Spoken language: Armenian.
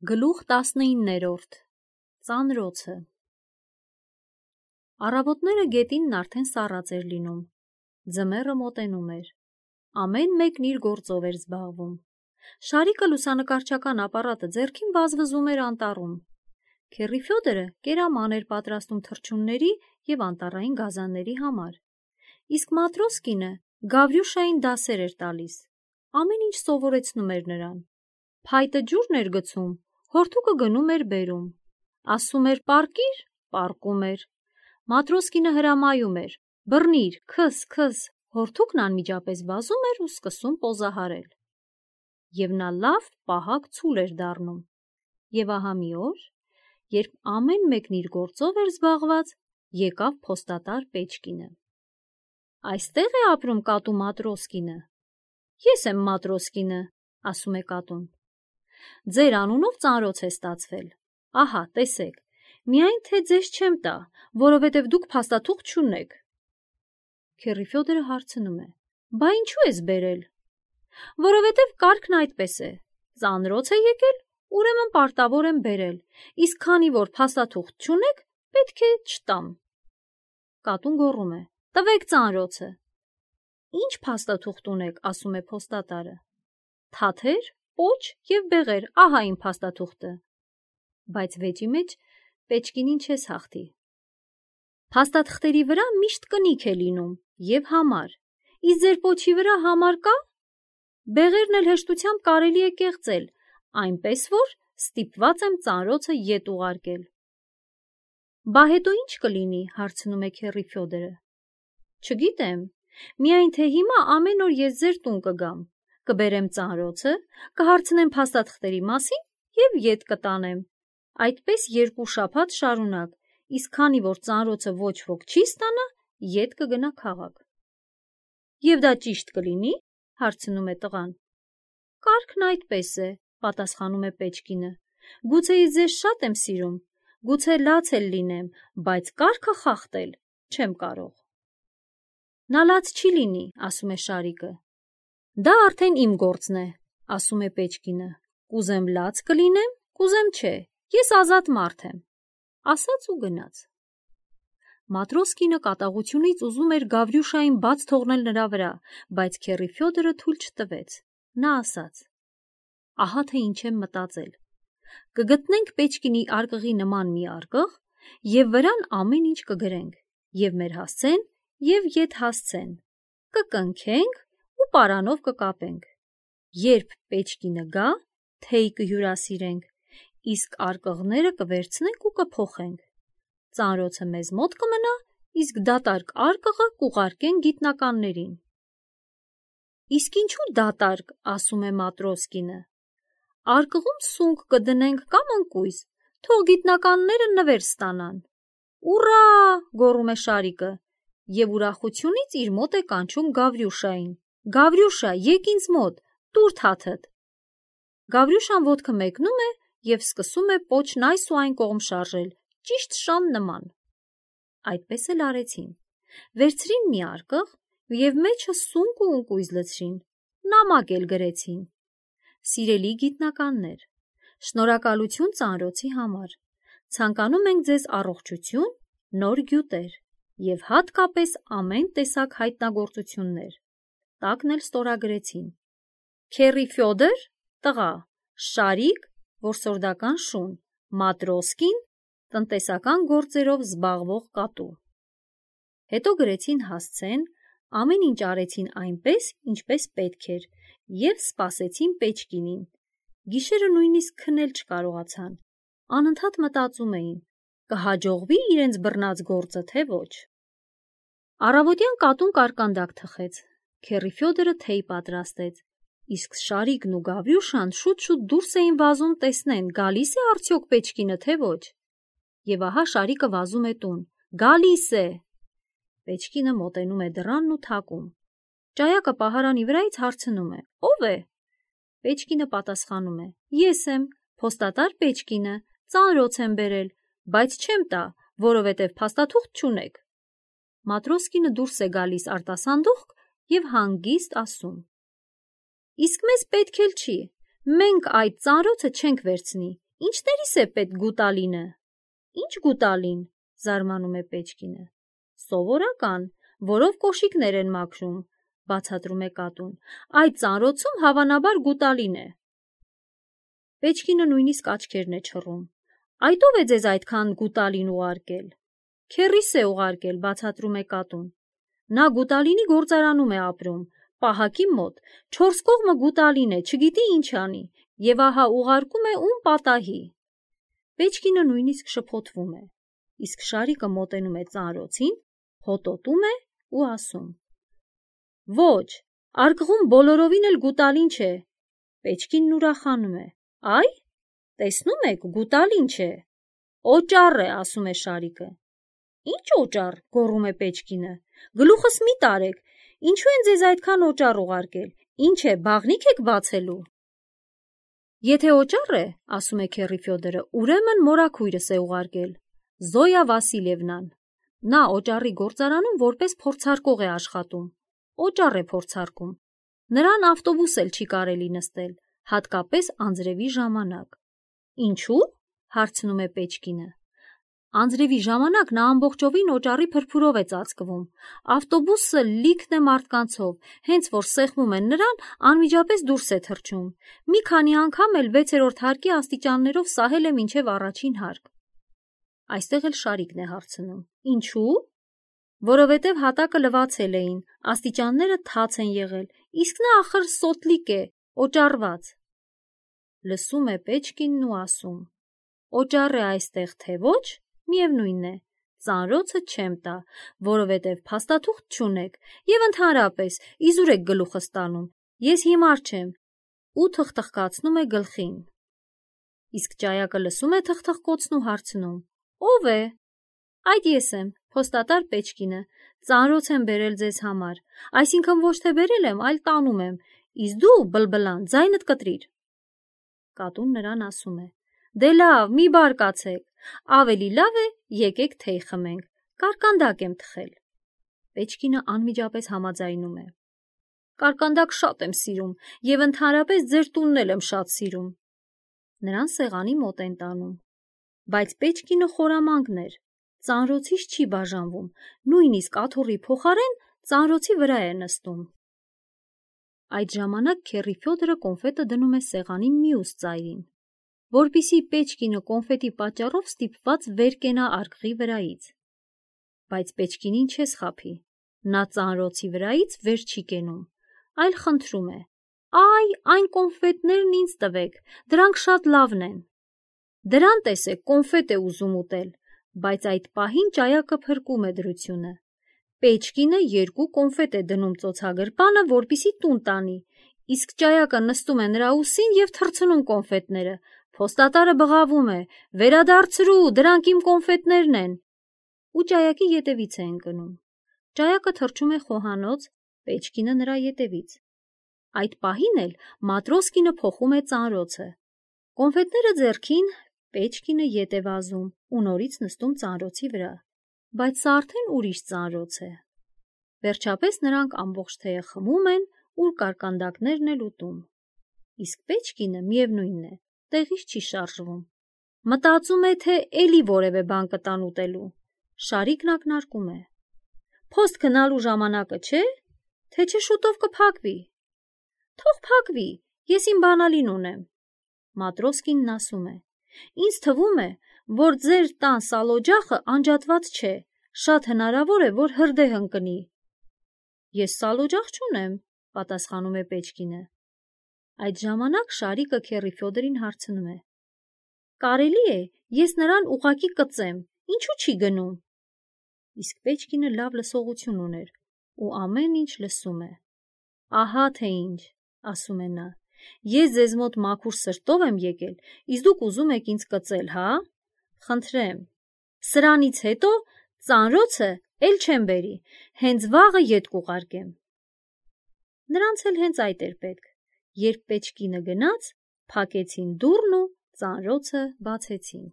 Գլուխ 19-րդ Ծանրոցը Առավոտները գետինն արդեն սառած էր լինում, ձմեռը մոտենում էր, ամեն մեկն իր գործով էր զբաղվում, Շարիկը լուսանկարչական ապարատը ձեռքին վազվզում էր անտառում, Քեռի Ֆյոդորը կերաման էր պատրաստում թռչունների և անտառային գազանների համար, իսկ Մատրոսկինը Գավրյուշային դասեր էր տալիս, ամեն ինչ սովորեցնում էր նրան, փայտը ջուրն էր գցում, հորդուկը գնում էր բերում, ասում էր պառկիր, պառկում էր, Մատրոսկինը հրամայում էր, բռնիր, քս, հորդուկն անմիջապես վազում էր ու սկսում պոզահարել, և նա լավ պահակ ցուլ էր դառնում, և ահա մի օր, երբ ամեն մեկն իր գործով էր զբաղված, եկավ փոստատար Պեչկինը. Այստե՞ղ է ապրում կատու Մատրոսկինը, ես եմ Մատրոսկինը, ասում է կատուն, ձեր անունով ծանրոց է ստացվել, ահա տեսեք, միայն թե ձեզ չեմ տա, որովհետև դուք փաստաթուղթ չունեք, Քեռի Ֆյոդորը հարցնում է, բա ինչու ես բերել, որովհետև կարգն այդպես է, ծանրոց է եկել, ուրեմն պարտավոր եմ բերել, իսկ քանի որ փաստաթուղթ չունեք, պետք է չտամ, կատուն գոռում է, տվեք ծանրոցը, ինչ փաստաթուղթ ունեք, ասում է փոստատարը, թաթեր, պոչ և բեղեր, ահա իմ փաստաթուղթը, բայց վեճի մեջ Պեչկինին չես հաղթի, փաստաթղթերի վրա միշտ կնիք է լինում և համար, իսկ ձեր պոչի վրա համար կա, բեղերն էլ հեշտությամբ կարելի է կեղծել, այնպես որ ստիպված եմ ծանրոցը ետ ուղարկել, բա հետո ինչ կլինի, հարցնում է Քեռի Ֆյոդորը, չգիտեմ, միայն թե հիմա ամեն օր ես ձեր տուն կգամ, կբերեմ ծանրոցը, կհարցնեմ փաստաթղթերի մասին և ետ կտանեմ, այդպես 2 շաբաթ շարունակ, իսկ քանի որ ծանրոցը ոչ ոք չի ստանա, ետ կգնա քաղաք։ Եվ դա ճիշտ կլինի, հարցնում է տղան։ Կարգն այդպես է, պատասխանում է Պեչկինը, գուցե ես ձեզ շատ եմ սիրում, գուցե լաց էլ լինեմ, բայց կարգը խախտել չեմ կարող։ Նա լաց չի լինի, ասում է Շարիկը։ Դա արդեն իմ գործն է, ասում է Պեչկինը, կուզեմ լաց կլինեմ, կուզեմ չէ, ես ազատ մարդ եմ, ասաց ու գնաց։ Մատրոսկինը կատաղությունից ուզում էր Գավրյուշային բաց թողնել նրա վրա, բայց Քեռի Ֆյոդորը թույլ չտվեց, նա ասաց. ահա թե ինչ եմ մտածել, կգտնենք Պեչկինի արկղի նման մի արկղ և վրան ամեն ինչ կգրենք, և մեր հասցեն, և ետ հասցեն, կկնքենք ու պարանով կկապենք, երբ Պեչկինը գա, թեյ կհյուրասիրենք, իսկ արկղները կվերցնենք ու կփոխենք, ծանրոցը մեզ մոտ կմնա, իսկ դատարկ արկղը կուղարկենք գիտնականներին։ Իսկ ինչու դատարկ, ասում է Մատրոսկինը, արկղում սունկ կդնենք կամ ընկույզ, թող գիտնականները նվեր ստանան։ Ուռա, գոռում է Շարիկը, և ուրախությունից իր մոտ է կանչում Գավրյուշային, Գավրյուշա, եկ ինձ մոտ, տուր թաթդ։ Գավրյուշան ոտքը մեկնում է և սկսում է պոչն այս ու այն կողմ շարժել, ճիշտ շան նման։ Այդպես էլ արեցին, վերցրին մի արկղ և մեջը սունկ ու ընկույզ լցրին, նամակ էլ գրեցին. Սիրելի գիտնականներ, շնորհակալություն ծանրոցի համար, ցանկանում ենք ձեզ առողջություն, նոր գյուտեր և հատկապես ամեն տեսակ հայտնագործություններ, տակն էլ ստորագրեցին. Քեռի Ֆյոդոր, տղա, Շարիկ, որսորդական շուն, Մատրոսկին, տնտեսական գործերով զբաղվող կատու։ Հետո գրեցին հասցեն, ամեն ինչ արեցին այնպես, ինչպես պետք էր, և սպասեցին Պեչկինին, գիշերը նույնիսկ քնել չկարողացան, անընդհատ մտածում էին, կհաջողվի իրենց բռնած գործը, թե ոչ։ Առավոտյան կատուն կարկանդակ թխեց, Քեռի Ֆյոդորը թեյ պատրաստեց, իսկ Շարիկն ու Գավրյուշան շուտ-շուտ դուրս էին վազում տեսնեն, գալիս է արդյոք Պեչկինը, թե ոչ։ Եվ ահա Շարիկը վազում է տուն, գալիս է։ Պեչկինը մոտենում է դռանն ու թակում։ Ճայակը պահարանի վրայից հարցնում է. ով է։ Պեչկինը պատասխանում է. ես եմ, փոստատար Պեչկինը, ծանրոց եմ բերել, բայց չեմ տա, որովհետև փաստաթուղթ չունեք։ Մատրոսկինը դուրս է գալիս արտասանդուղք և հանգիստ ասում. Իսկ մեզ պետք էլ չի, մենք այդ ծանրոցը չենք վերցնի, Ինչներիս է պետք գուտալինը։ Ինչ գուտալին, զարմանում է Պեչկինը։ Սովորական, որով կոշիկներ են մաքրում, բացատրում է կատուն։ Այդ ծանրոցում հավանաբար գուտալին է։ Պեչկինը նույնիսկ աչքերն է չռում։ Այդ ով է ձեզ այդքան գուտալին ուղարկել։ Քեռիս է ուղարկել, բացատրում է կատուն։ Նա գուտալինի գործարանում է ապրում, պահակի մոտ, 4 կողմը գուտալին է, չգիտի ինչ անի, եւ ահա ուղարկում է ում պատահի։ Պեչկինը նույնիսկ շփոթվում է, իսկ Շարիկը մոտենում է ծանրոցին, հոտոտում է ու ասում. Ոչ, արկղում բոլորովին էլ գուտալին չէ։ Պեչկինն ուրախանում է. Այ, տեսնում եք, գուտալին չէ։ Օճառ է, ասում է Շարիկը։ Ինչ օճառ, գոռում է Պեչկինը։ Գլուխս մի տարեք, ինչու են ձեզ այդքան օճառ ուղարկել, ինչ է, բաղնիք եք բացելու։ Եթե օճառ է, ասում է քեռի Ֆյոդորը, ուրեմն մորաքույրս է ուղարկել, Զոյա Վասիլևնան։ Նա օճառի գործարանում որպես փորձարկող է աշխատում, օճառ է փորձարկում։ Նրան ավտոբուս էլ չի կարելի նստել, հատկապես անձրևի ժամանակ։ Ինչու՞, հարցնում է Պեչկինը։ Անձրևի ժամանակ նա ամբողջովին օճառի փրփուրով է ծածկվում, ավտոբուսը լիքն է մարդկանցով, հենց որ սեղմում են նրան, անմիջապես դուրս է թռչում։ Մի քանի անգամ էլ 6-րդ հարկի աստիճաններով սահել է մինչև առաջին հարկ։ Այստեղ էլ Շարիկն է հարցնում. Ինչու՞։ Որովհետև հատակը լվացել էին, աստիճանները թաց են եղել, իսկ նա ախր սոտլիկ է, օճառված։ Լսում է Պեչկինն ու ասում. Օճառ է այստեղ թե ոչ, միևնույն է, ծանրոցը չեմ տա, որովհետև փաստաթուղթ չունեք եւ ընդհանրապես իզուր եք գլուխս տանում, ես հիմար չեմ, ու թխթխկացնում է գլխին։ Իսկ ճայակը լսում է թխթխկոցն ու հարցնում. Ո՞վ է։ Այդ ես եմ, փոստատար Պեչկինը, ծանրոց եմ բերել ձեզ համար, այսինքն ոչ թե բերել եմ, այլ տանում եմ, իսկ դու, բլբլան, ձայնդ կտրիր։ Կատուն նրան ասում է. Դե լավ, մի բարկացեք, ավելի լավ է, եկեք թեյ խմենք, կարկանդակ եմ թխել։ Պեչկինը անմիջապես համաձայնում է. Կարկանդակ շատ եմ սիրում եւ ընդհանրապես ձեր տունն էլ եմ շատ սիրում։ Նրան սեղանի մոտ են տանում։ Բայց Պեչկինը խորամանկն էր, ծանրոցից չի բաժանվում, նույնիսկ աթոռի փոխարեն ծանրոցի վրա է նստում։ Այդ ժամանակ քեռի Ֆյոդորը կոնֆետը դնում է սեղանի մյուս ծայրին, որպիսի Պեչկինը կոնֆետի պատճառով ստիպված վեր կենա արկղի վրայից։ Բայց Պեչկինին չես խաբի, նա ծանրոցի վրայից վեր չի կենում, այլ խնդրում է. Այ, այն կոնֆետներն ինձ տվեք, դրանք շատ լավն են։ Դրան տեսեք, կոնֆետ է ուզում ուտել, բայց այդ պահին ճայակը փրկում է դրությունը։ Պեչկինը 2 կոնֆետ է դնում ծոցագրպանը, որպիսի տուն տանի, իսկ ճայակը նստում է նրա ուսին եւ թռցնում կոնֆետները։ Փոստատարը բղավում է. Վերադարձրու, դրանք իմ կոնֆետներն են։ Ու ճայակի ետևից է ընկնում։ Ճայակը թռչում է խոհանոց, Պեչկինը նրա ետևից։ Այդ պահին էլ Մատրոսկինը փոխում է ծանրոցը։ Կոնֆետները ձեռքին, Պեչկինը ետ է վազում ու նորից նստում ծանրոցի վրա, բայց սա արդեն ուրիշ ծանրոց է։ Վերջապես նրանք ամբողջ թեյը խմում են ու կարկանդակներն էլ ուտում։ Իսկ Պեչկինը միևնույնն է, տեղից չի շարժվում։ Մտածում է, թե էլի որևէ բան կտան ուտելու։ Շարիկն ակնարկում է. Փոստ գնալու ժամանակը չէ, թե չէ շուտով կփակվի։ Թող փակվի, ես իմ բանալին ունեմ։ Մատրոսկինն ասում է. Ինձ թվում է, որ ձեր տան սալօջախը անջատված չէ, շատ հնարավոր է, որ հրդեհ ընկնի։ Ես սալօջախ չունեմ, պատասխանում է Պեչկինը։ Այդ ժամանակ Շարիկը քեռի Ֆյոդորին հարցնում է. Կարելի է, ես նրան ուղակի կծեմ, ինչու չի գնում։ Իսկ Պեչկինը լավ լսողություն ուներ ու ամեն ինչ լսում է։ Ահա թե ինչ, ասում է նա, ես ձեզ մոտ մաքուր սրտով եմ եկել, իսկ դուք ուզում եք ինձ կծել, հա։ Խնդրեմ, սրանից հետո ծանրոցը էլ չեմ բերի, հենց վաղը ետ կուղարկեմ։ Նրանց էլ հենց այդ էր պետք, երբ Պեչկինը գնաց, փակեցին դուռն ու ծանրոցը բացեցին։